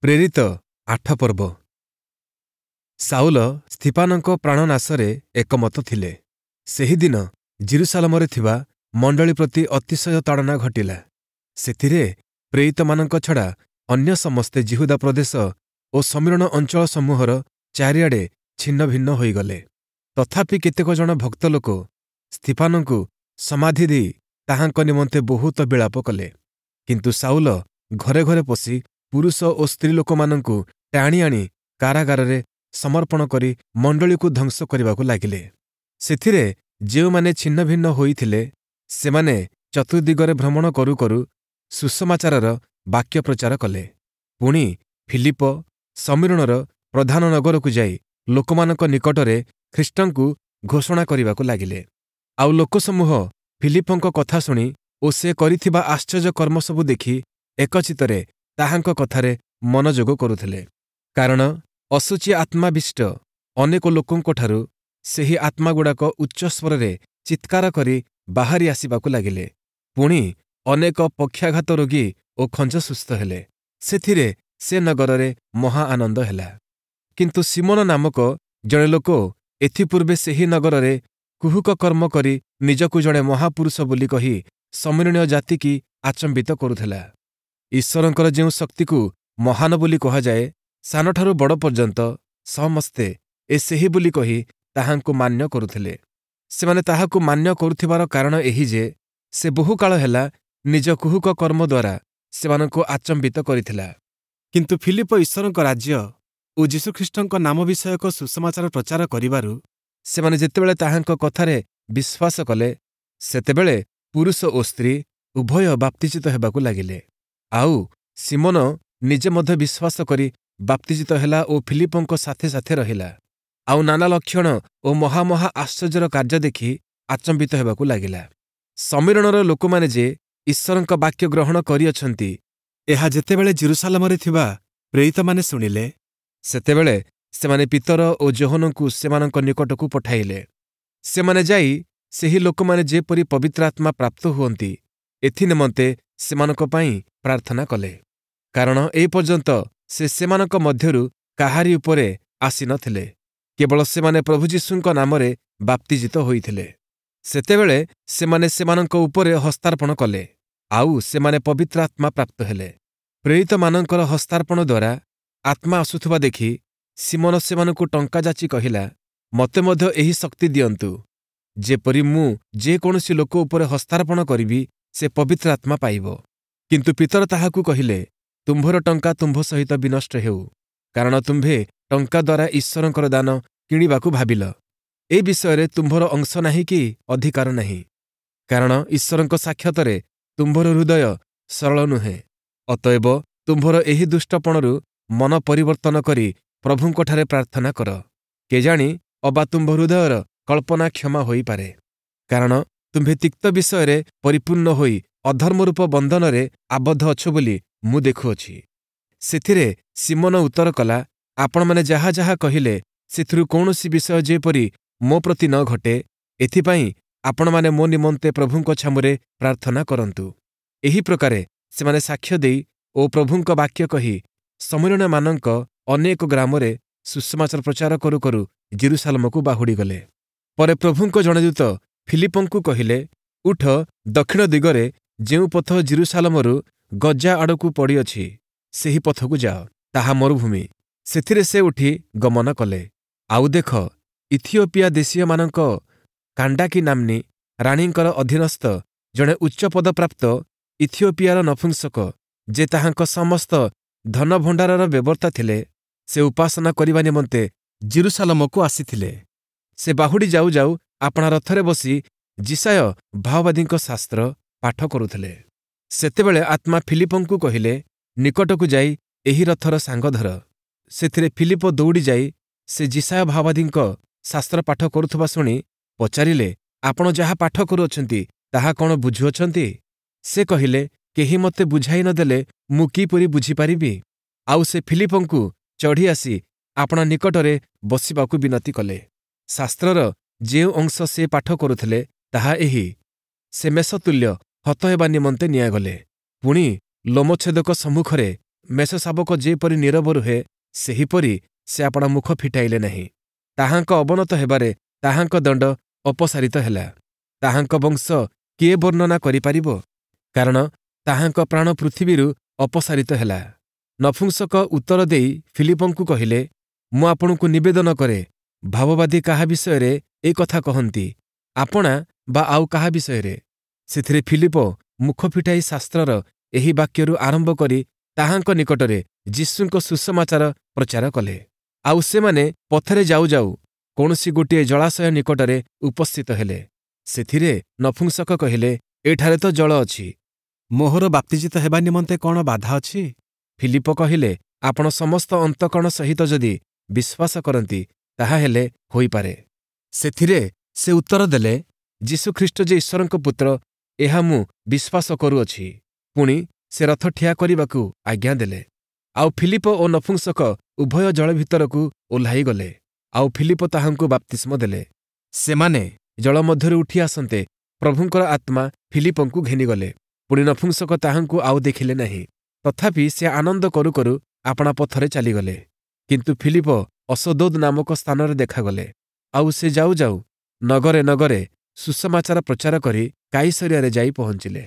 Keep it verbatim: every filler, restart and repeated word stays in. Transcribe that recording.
ପ୍ରେରିତ ଆଠ ପର୍ବ। ସାଉଲ ସ୍ତିଫାନଙ୍କ ପ୍ରାଣନାଶରେ ଏକମତ ଥିଲେ। ସେହିଦିନ ଯିରୂଶାଲମରେ ଥିବା ମଣ୍ଡଳୀ ପ୍ରତି ଅତିଶୟ ତାଡ଼ନା ଘଟିଲା। ସେଥିରେ ପ୍ରେରିତମାନଙ୍କ ଛଡ଼ା ଅନ୍ୟ ସମସ୍ତେ ଯିହୁଦା ପ୍ରଦେଶ ଓ ଶମିରୋଣ ଅଞ୍ଚଳ ସମୂହର ଚାରିଆଡ଼େ ଛିନ୍ନଭିନ୍ନ ହୋଇଗଲେ। ତଥାପି କେତେକ ଜଣ ଭକ୍ତ ଲୋକ ସ୍ତିଫାନଙ୍କୁ ସମାଧି ଦେଇ ତାହାଙ୍କ ନିମନ୍ତେ ବହୁତ ବିଳାପ କଲେ। କିନ୍ତୁ ସାଉଲ ଘରେ ଘରେ ପଶି ପୁରୁଷ ଓ ସ୍ତ୍ରୀଲୋକମାନଙ୍କୁ ଟାଣି ଆଣି କାରାଗାରରେ ସମର୍ପଣ କରି ମଣ୍ଡଳୀକୁ ଧ୍ୱଂସ କରିବାକୁ ଲାଗିଲେ। ସେଥିରେ ଯେଉଁମାନେ ଛିନ୍ନଭିନ୍ନ ହୋଇଥିଲେ, ସେମାନେ ଚତୁର୍ଦ୍ଦିଗରେ ଭ୍ରମଣ କରୁ କରୁ ସୁସମାଚାରର ବାକ୍ୟ ପ୍ରଚାର କଲେ। ପୁଣି ଫିଲିପ ଶମିରୋଣର ପ୍ରଧାନ ନଗରକୁ ଯାଇ ଲୋକମାନଙ୍କ ନିକଟରେ ଖ୍ରୀଷ୍ଟଙ୍କୁ ଘୋଷଣା କରିବାକୁ ଲାଗିଲେ। ଆଉ ଲୋକସମୂହ ଫିଲିପଙ୍କ କଥା ଶୁଣି ଓ ସେ କରିଥିବା ଆଶ୍ଚର୍ଯ୍ୟ କର୍ମସବୁ ଦେଖି ଏକଚିତ୍ତରେ ତାହାଙ୍କ କଥାରେ ମନୋଯୋଗ କରୁଥିଲେ। କାରଣ ଅଶୁଚି ଆତ୍ମାବିଷ୍ଟ ଅନେକ ଲୋକଙ୍କଠାରୁ ସେହି ଆତ୍ମାଗୁଡ଼ାକ ଉଚ୍ଚସ୍ୱରରେ ଚିତ୍କାର କରି ବାହାରି ଆସିବାକୁ ଲାଗିଲେ। ପୁଣି ଅନେକ ପକ୍ଷାଘାତ ରୋଗୀ ଓ ଖଞ୍ଜ ସୁସ୍ଥ ହେଲେ। ସେଥିରେ ସେ ନଗରରେ ମହା ଆନନ୍ଦ ହେଲା। କିନ୍ତୁ ଶିମୋନ ନାମକ ଜଣେ ଲୋକ ଏଥିପୂର୍ବେ ସେହି ନଗରରେ କୁହୁକ କର୍ମ କରି ନିଜକୁ ଜଣେ ମହାପୁରୁଷ ବୋଲି କହି ଶମିରୋଣୀୟ ଜାତିକି ଆଚମ୍ବିତ କରୁଥିଲା। ଈଶ୍ୱରଙ୍କର ଯେଉଁ ଶକ୍ତିକୁ ମହାନ ବୋଲି କୁହାଯାଏ, ସାନଠାରୁ ବଡ଼ ପର୍ଯ୍ୟନ୍ତ ସମସ୍ତେ ଏ ସେହି ବୋଲି କହି ତାହାଙ୍କୁ ମାନ୍ୟ କରୁଥିଲେ। ସେମାନେ ତାହାକୁ ମାନ୍ୟ କରୁଥିବାର କାରଣ ଏହି ଯେ, ସେ ବହୁକାଳ ହେଲା ନିଜ କୁହୁକ କର୍ମ ଦ୍ୱାରା ସେମାନଙ୍କୁ ଆଚମ୍ବିତ କରିଥିଲା। କିନ୍ତୁ ଫିଲିପ ଈଶ୍ୱରଙ୍କ ରାଜ୍ୟ ଓ ଯୀଶୁଖ୍ରୀଷ୍ଟଙ୍କ ନାମ ବିଷୟକ ସୁସମାଚାର ପ୍ରଚାର କରିବାରୁ ସେମାନେ ଯେତେବେଳେ ତାହାଙ୍କ କଥାରେ ବିଶ୍ୱାସ କଲେ, ସେତେବେଳେ ପୁରୁଷ ଓ ସ୍ତ୍ରୀ ଉଭୟ ବାପ୍ତିଜିତ ହେବାକୁ ଲାଗିଲେ। ଆଉ ଶିମୋନ ନିଜେ ମଧ୍ୟ ବିଶ୍ୱାସ କରି ବାପ୍ତିଜିତ ହେଲା ଓ ଫିଲିପଙ୍କ ସାଥେ ସାଥେ ରହିଲା। ଆଉ ନାନା ଲକ୍ଷଣ ଓ ମହାମହା ଆଶ୍ଚର୍ଯ୍ୟର କାର୍ଯ୍ୟ ଦେଖି ଆଚମ୍ବିତ ହେବାକୁ ଲାଗିଲା। ଶମିରୋଣର ଲୋକମାନେ ଯେ ଈଶ୍ୱରଙ୍କ ବାକ୍ୟ ଗ୍ରହଣ କରିଅଛନ୍ତି, ଏହା ଯେତେବେଳେ ଯିରୂଶାଲମରେ ଥିବା ପ୍ରେରିତମାନେ ଶୁଣିଲେ, ସେତେବେଳେ ସେମାନେ ପିତର ଓ ଯୋହନଙ୍କୁ ସେମାନଙ୍କ ନିକଟକୁ ପଠାଇଲେ। ସେମାନେ ଯାଇ ସେହି ଲୋକମାନେ ଯେପରି ପବିତ୍ର ଆତ୍ମା ପ୍ରାପ୍ତ ହୁଅନ୍ତି, ଏଥି ନିମନ୍ତେ ସେମାନଙ୍କ ପାଇଁ ପ୍ରାର୍ଥନା କଲେ। କାରଣ ଏ ପର୍ଯ୍ୟନ୍ତ ସେ ସେମାନଙ୍କ ମଧ୍ୟରୁ କାହାରି ଉପରେ ଆସିନଥିଲେ, କେବଳ ସେମାନେ ପ୍ରଭୁ ଯୀଶୁଙ୍କ ନାମରେ ବାପ୍ତିଜିତ ହୋଇଥିଲେ। ସେତେବେଳେ ସେମାନେ ସେମାନଙ୍କ ଉପରେ ହସ୍ତାର୍ପଣ କଲେ, ଆଉ ସେମାନେ ପବିତ୍ର ଆତ୍ମା ପ୍ରାପ୍ତ ହେଲେ। ପ୍ରେରିତମାନଙ୍କର ହସ୍ତାର୍ପଣ ଦ୍ୱାରା ଆତ୍ମା ଆସୁଥିବା ଦେଖି ଶିମୋନ ସେମାନଙ୍କୁ ଟଙ୍କା ଯାଚି କହିଲା, ମୋତେ ମଧ୍ୟ ଏହି ଶକ୍ତି ଦିଅନ୍ତୁ, ଯେପରି ମୁଁ ଯେକୌଣସି ଲୋକ ଉପରେ ହସ୍ତାର୍ପଣ କରିବି, ସେ ପବିତ୍ର ଆତ୍ମା ପାଇବ। କିନ୍ତୁ ପିତର ତାହାକୁ କହିଲେ, ତୁମ୍ଭର ଟଙ୍କା ତୁମ୍ଭ ସହିତ ବିନଷ୍ଟ ହେଉ, କାରଣ ତୁମ୍ଭେ ଟଙ୍କା ଦ୍ୱାରା ଈଶ୍ୱରଙ୍କର ଦାନ କିଣିବାକୁ ଭାବିଲ। ଏ ବିଷୟରେ ତୁମ୍ଭର ଅଂଶ ନାହିଁ କି ଅଧିକାର ନାହିଁ, କାରଣ ଈଶ୍ୱରଙ୍କ ସାକ୍ଷାତରେ ତୁମ୍ଭର ହୃଦୟ ସରଳ ନୁହେଁ। ଅତଏବ ତୁମ୍ଭର ଏହି ଦୁଷ୍ଟପଣରୁ ମନ ପରିବର୍ତ୍ତନ କରି ପ୍ରଭୁଙ୍କଠାରେ ପ୍ରାର୍ଥନା କର, କେଜାଣି ଅବା ତୁମ୍ଭ ହୃଦୟର କଳ୍ପନା କ୍ଷମା ହୋଇପାରେ। କାରଣ ତୁମ୍ଭେ ତିକ୍ତ ବିଷୟରେ ପରିପୂର୍ଣ୍ଣ ହୋଇ ଅଧର୍ମରୂପ ବନ୍ଧନରେ ଆବଦ୍ଧ ଅଛ ବୋଲି ମୁଁ ଦେଖୁଅଛି। ସେଥିରେ ଶିମୋନ ଉତ୍ତର କଲା, ଆପଣମାନେ ଯାହା ଯାହା କହିଲେ, ସେଥିରୁ କୌଣସି ବିଷୟ ଯେପରି ମୋ ପ୍ରତି ନ ଘଟେ, ଏଥିପାଇଁ ଆପଣମାନେ ମୋ ନିମନ୍ତେ ପ୍ରଭୁଙ୍କ ଛାମୁରେ ପ୍ରାର୍ଥନା କରନ୍ତୁ। ଏହି ପ୍ରକାରେ ସେମାନେ ସାକ୍ଷ୍ୟ ଦେଇ ଓ ପ୍ରଭୁଙ୍କ ବାକ୍ୟ କହି ଶମିରୋଣୀୟମାନଙ୍କ ଅନେକ ଗ୍ରାମରେ ସୁସମାଚାର ପ୍ରଚାର କରୁ କରୁ ଯିରୂଶାଲମକୁ ବାହୁଡ଼ିଗଲେ। ପରେ ପ୍ରଭୁଙ୍କ ଜଣେ ଦୂତ ଫିଲିପଙ୍କୁ କହିଲେ, ଉଠ, ଦକ୍ଷିଣ ଦିଗରେ ଯେଉଁ ପଥ ଯିରୂଶାଲମରୁ ଗଜା ଆଡ଼କୁ ପଡ଼ିଅଛି, ସେହି ପଥକୁ ଯାଅ, ତାହା ମରୁଭୂମି। ସେଥିରେ ସେ ଉଠି ଗମନ କଲେ। ଆଉ ଦେଖ, ଇଥିଓପିଆ ଦେଶୀୟମାନଙ୍କ କାଣ୍ଡାକି ନାମ୍ନୀ ରାଣୀଙ୍କର ଅଧୀନସ୍ଥ ଜଣେ ଉଚ୍ଚପଦପ୍ରାପ୍ତ ଇଥିଓପିଆର ନପୁଂସକ, ଯେ ତାହାଙ୍କ ସମସ୍ତ ଧନଭଣ୍ଡାରର ବ୍ୟବର୍ତ୍ତା ଥିଲେ, ସେ ଉପାସନା କରିବା ନିମନ୍ତେ ଯିରୂଶାଲମକୁ ଆସିଥିଲେ। ସେ ବାହୁଡ଼ି ଯାଉ ଯାଉ ଆପଣା ରଥରେ ବସି ଯିଶାଇୟ ଭାବବାଦୀଙ୍କ ଶାସ୍ତ୍ର ପାଠ କରୁଥିଲେ। ସେତେବେଳେ ଆତ୍ମା ଫିଲିପଙ୍କୁ କହିଲେ, ନିକଟକୁ ଯାଇ ଏହି ରଥର ସାଙ୍ଗ ଧର। ସେଥିରେ ଫିଲିପ ଦୌଡ଼ି ଯାଇ ସେ ଯିଶାଇୟ ଭାବବାଦୀଙ୍କ ଶାସ୍ତ୍ର ପାଠ କରୁଥିବା ଶୁଣି ପଚାରିଲେ, ଆପଣ ଯାହା ପାଠ କରୁଅଛନ୍ତି, ତାହା କ'ଣ ବୁଝୁଅଛନ୍ତି? ସେ କହିଲେ, କେହି ମୋତେ ବୁଝାଇ ନ ଦେଲେ ମୁଁ କିପରି ବୁଝିପାରିବି? ଆଉ ସେ ଫିଲିପଙ୍କୁ ଚଢ଼ି ଆସି ଆପଣା ନିକଟରେ ବସିବାକୁ ବିନତି କଲେ। ଶାସ୍ତ୍ରର ଯେଉଁ ଅଂଶ ସେ ପାଠ କରୁଥିଲେ, ତାହା ଏହି, ସେ ମେଷତୁଲ୍ୟ ହତ ହେବା ନିମନ୍ତେ ନିଆଗଲେ, ପୁଣି ଲୋମଛେଦକ ସମ୍ମୁଖରେ ମେଷଶାବକ ଯେପରି ନୀରବ ରୁହେ, ସେହିପରି ସେ ଆପଣା ମୁଖ ଫିଟାଇଲେ ନାହିଁ। ତାହାଙ୍କ ଅବନତ ହେବାରେ ତାହାଙ୍କ ଦଣ୍ଡ ଅପସାରିତ ହେଲା। ତାହାଙ୍କ ବଂଶ କିଏ ବର୍ଣ୍ଣନା କରିପାରିବ? କାରଣ ତାହାଙ୍କ ପ୍ରାଣ ପୃଥିବୀରୁ ଅପସାରିତ ହେଲା। ନପୁଂସକ ଉତ୍ତର ଦେଇ ଫିଲିପଙ୍କୁ କହିଲେ, ମୁଁ ଆପଣଙ୍କୁ ନିବେଦନ କରେ, ଭାବବାଦୀ କାହା ବିଷୟରେ ଏ କଥା କହନ୍ତି, ଆପଣା ବା ଆଉ କାହା ବିଷୟରେ? ସେଥିରେ ଫିଲିପ ମୁଖ ଫିଟାଇ ଶାସ୍ତ୍ରର ଏହି ବାକ୍ୟରୁ ଆରମ୍ଭ କରି ତାହାଙ୍କ ନିକଟରେ ଯୀଶୁଙ୍କ ସୁସମାଚାର ପ୍ରଚାର କଲେ। ଆଉ ସେମାନେ ପଥରେ ଯାଉ ଯାଉ କୌଣସି ଗୋଟିଏ ଜଳାଶୟ ନିକଟରେ ଉପସ୍ଥିତ ହେଲେ। ସେଥିରେ ନପୁଂସକ କହିଲେ, ଏଠାରେ ତ ଜଳ ଅଛି, ମୋହର ବାପ୍ତିଜିତ ହେବା ନିମନ୍ତେ କଣ ବାଧା ଅଛି? ଫିଲିପ କହିଲେ, ଆପଣ ସମସ୍ତ ଅନ୍ତଃକରଣ ସହିତ ଯଦି ବିଶ୍ୱାସ କରନ୍ତି, ତାହାହେଲେ ହୋଇପାରେ। ସେଥିରେ ସେ ଉତ୍ତର ଦେଲେ, ଯୀଶୁଖ୍ରୀଷ୍ଟ ଯେ ଈଶ୍ୱରଙ୍କ ପୁତ୍ର, ଏହା ମୁଁ ବିଶ୍ୱାସ କରୁଅଛି। ପୁଣି ସେ ରଥ ଠିଆ କରିବାକୁ ଆଜ୍ଞା ଦେଲେ। ଆଉ ଫିଲିପ ଓ ନପୁଂସକ ଉଭୟ ଜଳ ଭିତରକୁ ଓହ୍ଲାଇଗଲେ, ଆଉ ଫିଲିପ ତାହାଙ୍କୁ ବାପ୍ତିସ୍ମ ଦେଲେ। ସେମାନେ ଜଳ ମଧ୍ୟରୁ ଉଠି ଆସନ୍ତେ ପ୍ରଭୁଙ୍କର ଆତ୍ମା ଫିଲିପଙ୍କୁ ଘେନିଗଲେ। ପୁଣି ନପୁଂସକ ତାହାଙ୍କୁ ଆଉ ଦେଖିଲେ ନାହିଁ। ତଥାପି ସେ ଆନନ୍ଦ କରୁ କରୁ ଆପଣା ପଥରେ ଚାଲିଗଲେ। କିନ୍ତୁ ଫିଲିପ ଅଶଦୋଦ ନାମକ ସ୍ଥାନରେ ଦେଖାଗଲେ। ଆଉ ସେ ଯାଉ ଯାଉ ନଗରେ ନଗରେ ସୁସମାଚାର ପ୍ରଚାର କରି କାଇସରିଆରେ ଯାଇ ପହଞ୍ଚିଲେ।